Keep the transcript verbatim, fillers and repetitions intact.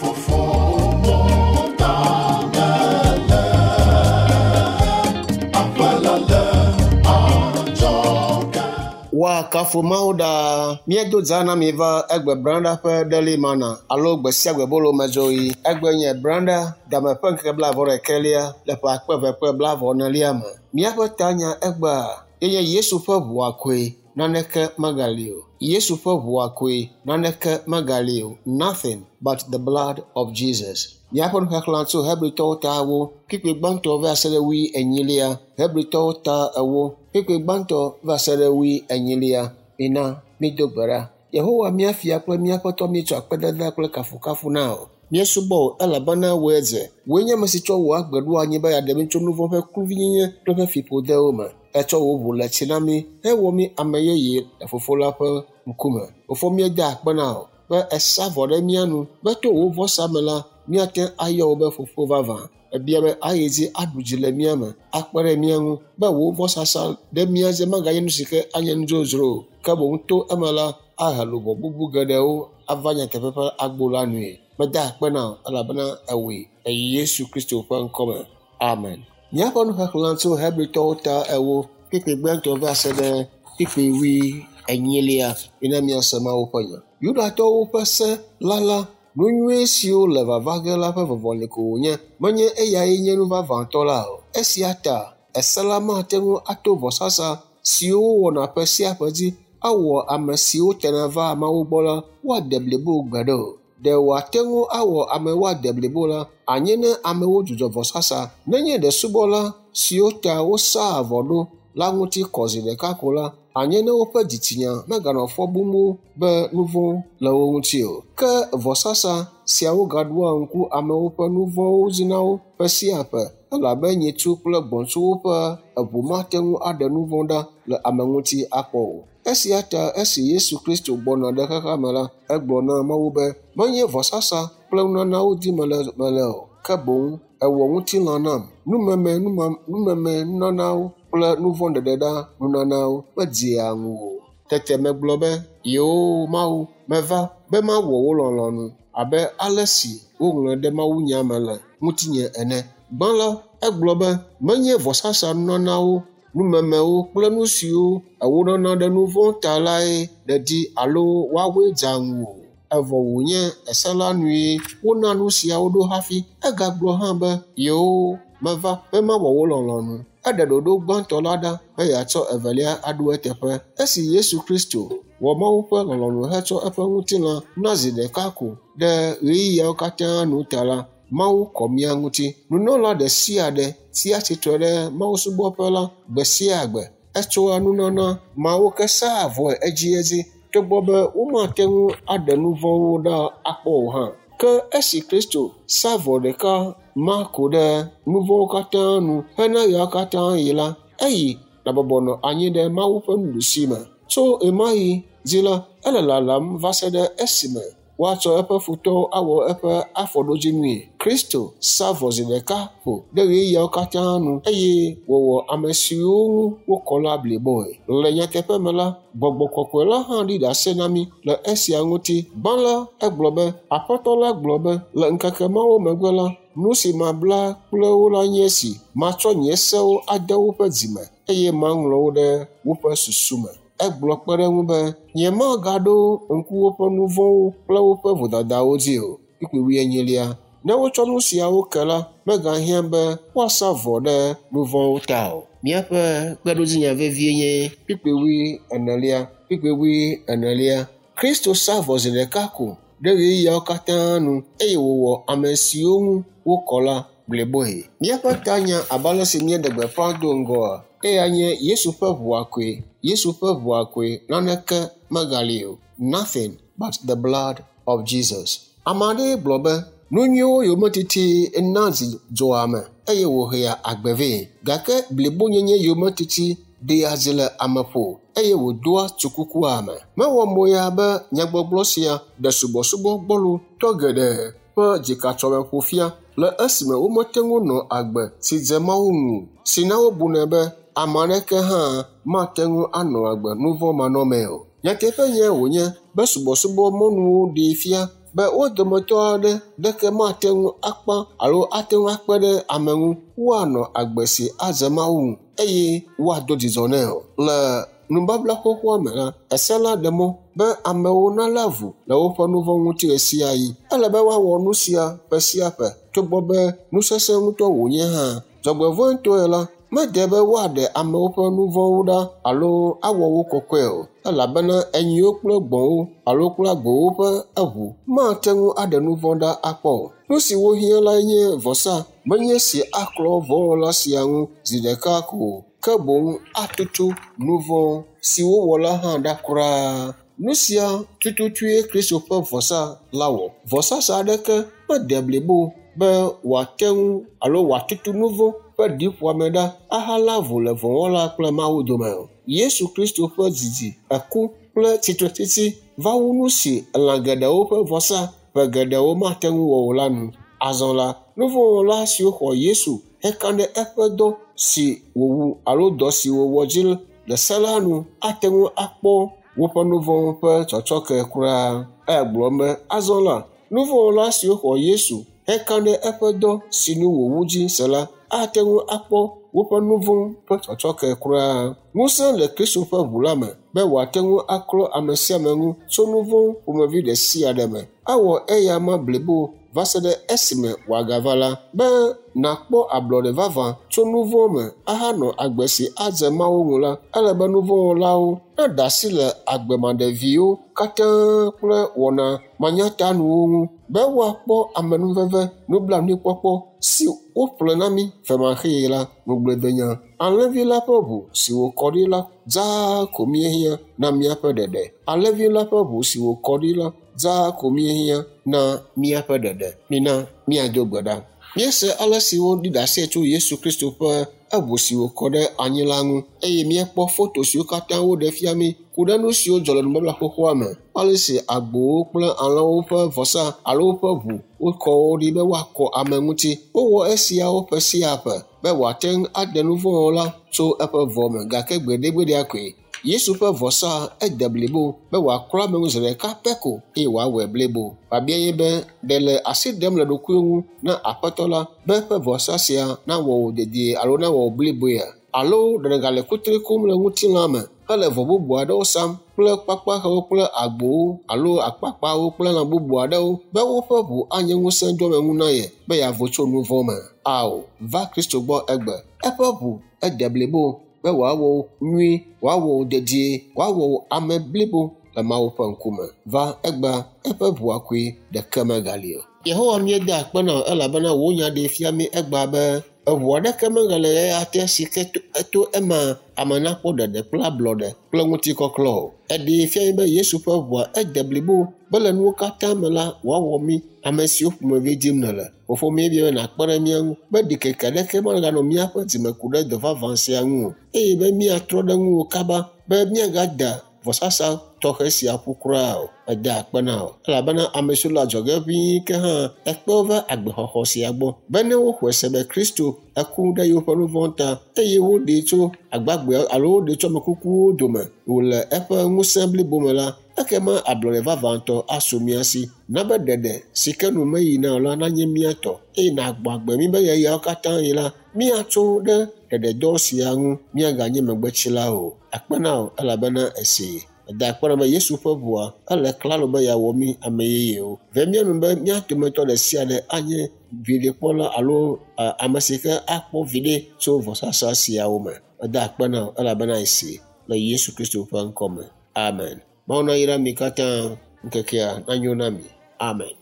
Fofo mɔ ta mele. Aƒe la le adzɔge. Woakafu Mawu ɖaa. Míedo dza na mi va egbe branda ƒe Daily Manna alo gbe sia gbe bolo medzoɣi. Egbe nye branda game ƒe ŋkeke blaeve-vɔ-ɖekɛlia le ƒe akpe eve kple blaeve-enelia me. Míaƒe tanya egbea ye nye Yesu ƒe ʋua koe naneke megali o. Yesu ƒe ʋua koe naneke megali o. Nothing but the blood of Jesus. Míaƒe nuxexlẽ tso Hebritɔwo ta ewo, kpukpui gbãtɔ va se ɖe wui enyilia. Hebritɔwo ta ewo, kpukpui gbãtɔ va se ɖe wui enyilia. Mina mído gbe ɖa. Yehowa mía fia kple mía Aƒetɔ míetsɔ akpedada kple kafukafu na wò. Míesubɔ wò elabena wòe dze. Wòe nye ame si tsɔ wò agbe ɖo anyi be yeaɖe mí tso nu vɔ̃ ƒe kluvinyenye kple eƒe fiƒodewo me. Etsɔ wò ʋu le tsi na mí hewɔ mí ame yeye le Fofo la ƒe ŋkume. Fofo míeda akpe na wò be èsa vɔ ɖe mía nu be to wò vɔsa me la míate ŋu ayɔ wò be Fofo vavã. Ebia be ayi dzi aɖu dzi le mía me, akpe ɖe mía ŋu be wò vɔsasa ɖe mía dzi maganye nu si ke anye nu dzodzro o, ke boŋ to eme la ahe luʋɔ bubu geɖewo ava nyateƒe ƒe agbo la nue. Meda akpe na wò elabena èwɔe le Yesu Kristo ƒe ŋkɔme. Amen. Míaƒe nuxexlẽ tso Hebritɔwo ta ewo, kpukpui gbãtɔ va se ɖe kpukpui wui enyilia. Mina míase Mawu ƒe nya. Yudatɔwo ƒe se la la, nu nyui siwo le vava ge la ƒe vɔvɔli ko wònye. Menye eyae nye nu vavãtɔ la o. Esia ta ese la mate ŋu ato vɔsasa siwo wowɔna ƒe sia ƒe dzi awɔ ame siwo tena vaa Mawu gbɔ la woade blibo gbeɖe o. Ɖe wòate ŋu awɔ ame woade blibo la anye ne amewo dzudzɔ vɔsasa. Nenye ɖe subɔla siwo ta wosaa vɔ ɖo la ŋuti kɔ zi ɖeka ko la, anye ne woƒe dzitsinya meganɔ fɔ bum wo be nu vɔ̃ le wo ŋuti o. Ke vɔsasa siawo gaɖoa ŋku amewo ƒe nu vɔ̃wo dzi na wo ƒe sia ƒe elabe nyitsu kple gbɔ̃tsuwo ƒe eʋu mate ŋu aɖe nu vɔ̃ ɖa le ame ŋuti akpɔ o. Esia ta esi Yesu Kristo gbɔna ɖe xexea me la, egblɔ na Mawu be, menye vɔsasa kple nunanawo dim mele mele o, ke boŋ èwɔ ŋutilã nam. Numeme numa numeme nunanawo kple nu vɔ̃ ɖeɖeɖa nunanawo medzea ŋuwò o. Tete megblɔ be, Yoo Mawu, meva be mawɔ wò lɔlɔ̃nu abe ale si woŋlɔe ɖe mawunya me le ŋutinye ene. Gbã la, egblɔ be, menye vɔsasa nunanawo, numemewo kple nu siwo èwonana ɖe nu vɔ̃ ta lae nèdi alo woawoe dzea ŋuwò o. Evɔ wònye ese la nue wona nu siawo ɖo hafi. Egagblɔ hã be, Yoo, meva be mawɔ wò lɔlɔ̃nu. Eɖe ɖoɖo gbãtɔ la ɖa be yeatsɔ evelia aɖo eteƒe. Esi Yesu Kristo wɔ Mawu ƒe lɔlɔ̃nu hetsɔ eƒe ŋutilã na zi ɖeka ko ɖe ɣeyiɣiawo katã nu ta la, Mawu kɔ mía ŋuti. Nunɔla ɖe sia ɖe tsia tsitre ɖe mawusubɔƒe la gbe sia gbe. Etsɔa nunana mawo ke saa vɔe edziedzi togbɔ be womate ŋu aɖe nu vɔ̃wo ɖa akpɔ o hã. Ke esi Kristo sa vɔ ɖeka ma ko ɖe nu vɔ̃wo katã nu hena ɣeawo katã ɣi la, eyi ɖabɔbɔ nɔ anyi ɖe Mawu ƒe nuɖusi me. Tso ɣemaɣi dzi la, ele lalam va se ɖe esime woatsɔ eƒe futɔwo awɔ eƒe afɔɖodzinui. Kristo sa vɔ zi ɖeka ko ɖe ɣeyiɣiawo katã nu eye wòwɔ ame siwo ŋu wokɔ la bliboe. Le nyateƒe me la, Gbɔgbɔ Kɔkɔe la hã ɖi ɖase na mí le esia ŋuti. Gbã la, egblɔ be, Aƒetɔ la gblɔ be, le ŋkeke mawo megbe la, nu si mabla kple wo la nye esi: matsɔ nye sewo ade woƒe dzime eye maŋlɔ wo ɖe woƒe susu me. Egblɔ kpe ɖe eŋu be, nyemagaɖo ŋku woƒe nu vɔ̃wo kple woƒe vodadawo dzi o. Kpukpui wuienyilia. Ne wotsɔ nu siawo ke la, megahiã be woasa vɔ ɖe nu vɔ̃wo ta o. Míaƒe kpeɖodzinya vevie nye kpukpui wui enelia. Kpukpui wui enelia. Kristo sa vɔ zi ɖeka ko ɖe ɣeyiɣiawo katã nu eye wòwɔ ame siwo ŋu wokɔ la bliboe. Míaƒe tanya abe ale si míeɖe gbeƒã do ŋgɔa, eya nye Yesu ƒe ʋua koe. Yesu ƒe ʋua koe naneke megali o. Nothing but the blood of Jesus. Ame aɖee gblɔ be, nu nyuiwo yometiti na dzi dzɔa ame eye wòhea agbe vɛ. Gake blibonyenye yometiti ɖea dzi le ame ƒo eye wòdoa tsukuku ame. Mewɔ moya be nyagbɔgblɔ sia ɖe subɔsubɔ gbɔlo tɔ geɖe ƒe dzikatsɔmeƒo fia le esime womete ŋu nɔ agbe si dze Mawu ŋu si na wobunɛ be ame aɖeke hã mate ŋu anɔ agbe nu vɔ̃ manɔmee o. Nyateƒe nye wònye be subɔsubɔ mɔnuwo ɖee fia be wo dometɔ aɖe ɖeke mate ŋu akpa alo ate ŋu akpe ɖe ame ŋu woanɔ agbe si adze Mawu ŋu eye woado dzidzɔ nɛ o. Le nubabla xoxoa me la, ese la ɖe mɔ be amewo nalé avu le woƒe nu vɔ̃ ŋuti ɣe sia ɣi. Ele be woawɔ nu sia ƒe sia ƒe togbɔ be nu sesẽ ŋutɔ wònye hã. Dzɔgbevɔ̃etɔe la, mede be woaɖe amewo ƒe nu vɔ̃wo ɖa alo awɔ wo kɔkɔe o, elabena enyiwo kple gbɔ̃wo alo kple agbowo ƒe eʋu mate ŋu aɖe nu vɔ̃ ɖa akpɔ o. Nu si wohiã lae nye vɔsa, menye si aklɔ vɔ̃wɔla sia ŋu zi ɖeka ko o, ke boŋ atutu nu vɔ̃ si wowɔ la hã ɖa kura. Nu sia tututue Kristo ƒe vɔsa la wɔ. Vɔsasa aɖeke mede blibo be wòate ŋu alo wòatutu nu vɔ̃ ƒe ɖiƒoame ɖa ahalé avu le vɔ̃wɔla kple Mawu dome o. Yesu Kristo ƒe didi, eku kple tsitretsitsi va wu nu si lã geɖewo ƒe vɔsa ƒe geɖewo mate ŋu wɔ o la nu. Azɔ la, nuvɔ̃wɔla siwo xɔ Yesu heka ɖe eƒe dɔ si wòwu alo dɔ si wòwɔ dzi le se la nu ate ŋu akpɔ woƒe nu vɔ̃wo ƒe tsɔtsɔke kura. Egblɔ be azɔ la, nuvɔ̃wɔla siwo xɔ Yesu heka ɖe eƒe dɔ si nu wòwu dzi se la ate ŋu akpɔ woƒe nu vɔ̃ ƒe tsɔtsɔke kura. Ŋusẽ le Kristo ƒe ʋu la me be wòate ŋu aklɔ ame sia ame ŋu tso nu vɔ̃ ƒomevi ɖe sia ɖe me. Awɔ eya ma blibo va se ɖe esime wòagava la, be nàkpɔ ablɔɖe vavã tso nu vɔ̃ me ahanɔ agbe si adze Mawu ŋu la, ele be nu vɔ̃wɔlawo naɖe asi le agbemaɖeviwo katã kple wɔna manyatanuwo ŋu be woakpɔ amenuveve nublanuikpɔkpɔ si woƒle na mí femaxee la ŋugbledenya. Alẽvi la ƒe ʋu si wòkɔ ɖi la dzaa ko míehiã na míaƒe ɖeɖe. Alẽvi la ƒe ʋu si wòkɔ ɖi la dzaa ko míehiã na míaƒe ɖeɖe. Mina míado gbe ɖa. Míese ale si woɖi ɖase tso Yesu Kristo ƒe eʋu si wòkɔ ɖe anyi la ŋu eye míekpɔ foto siwo katã woɖe fia mí ku ɖe nu siwo dzɔ le nubabla xoxoa me. Ale si agbowo kple alẽwo ƒe vɔsa alo woƒe ʋu wokɔ wo ɖi be woakɔ ame ŋuti. Wowɔ esiawo ƒe sia ƒe be wòate ŋu aɖe nu vɔ̃wɔla tso eƒe vɔ me gake gbeɖegbeɖea koe. Yesu ƒe vɔsa ede blibo be wòaklɔ ame ŋu zi ɖeka pɛ ko eye wòawɔe blibo. Biabia nye be ɖe le asi ɖem le ɖokuiwò ŋu na Aƒetɔ la be eƒe vɔsa sia nawɔ wò dedie alo nawɔ wò bliboea? Alo ɖe nègale kutri kum le ŋutilã me hele vɔ bubu aɖewo sam kple kpakpaxewo kple agbowo alo akpakpawo kple lã bubu aɖewo be woƒe ʋu anye ŋusẽdoameŋu na ye be yeavo tso nu vɔ̃ me? Ao, va Kristo gbɔ egbe. Eƒe ʋu ede blibo be wòawɔ wò nyuie, wòawɔ wò dedie, wòawɔ wò ame blibo le Mawu ƒe ŋkume. Va egbea, eƒe ʋua koe ɖeke megali o. Yehowa míeda akpe na wò elabena wò nya ɖee fia mí egbea be eʋu aɖeke megale ɣeya te si ke to ema ame nakpɔ ɖeɖe kple ablɔɖe kple ŋutikɔklɔ o. Eɖee fia mí be Yesu ƒe ʋua ede blibo be le nuwo katã me la wòawɔ mí ame siwo ƒomevi dim nèle. Fofo míebia be nàkpe ɖe mía ŋu be ɖikeke aɖeke meganɔ míaƒe dzime ku ɖe dɔ vavã sia ŋu o eye be míatrɔ ɖe ŋuwò kaba be míagada vɔsasa tɔxɛ sia ƒu kura o. Eda akpe na wò elabena ame siwo le adzɔge ʋĩi ke hã ekpe wo va agbexɔxɔ sia gbɔ be ne woxɔe se be Kristo eku ɖe yewoƒe nu vɔ̃ ta eye woɖee tso agbagbeawo alo woɖee tso ame kukuwo dome wòle eƒe ŋusẽ blibo me la, ekema ablɔɖe vavãtɔ asu mía si. Na be ɖeɖe si ke nu meyina o la nanye mía tɔ eye nàgbɔ agbe mí be ɣeyiɣiawo katã yi la, míatso ɖe ɖeɖedɔ sia ŋu míaganye megbetsilawo o. Akpe na wò elabena èsee. Eda akpe na be Yesu ƒe ʋua ele klalo be yeawɔ mí ame yeyewo. Ve mía nu be mía dometɔ ɖe sia ɖe anye viɖekpɔla alo ame si ke akpɔ viɖe tso vɔsasa siawo me. Eda akpe na wò elabena èsee le Yesu Kristo ƒe ŋkɔ me. Amen. Mawu nayra mi katã ŋkekea nanyo na mi. Amen.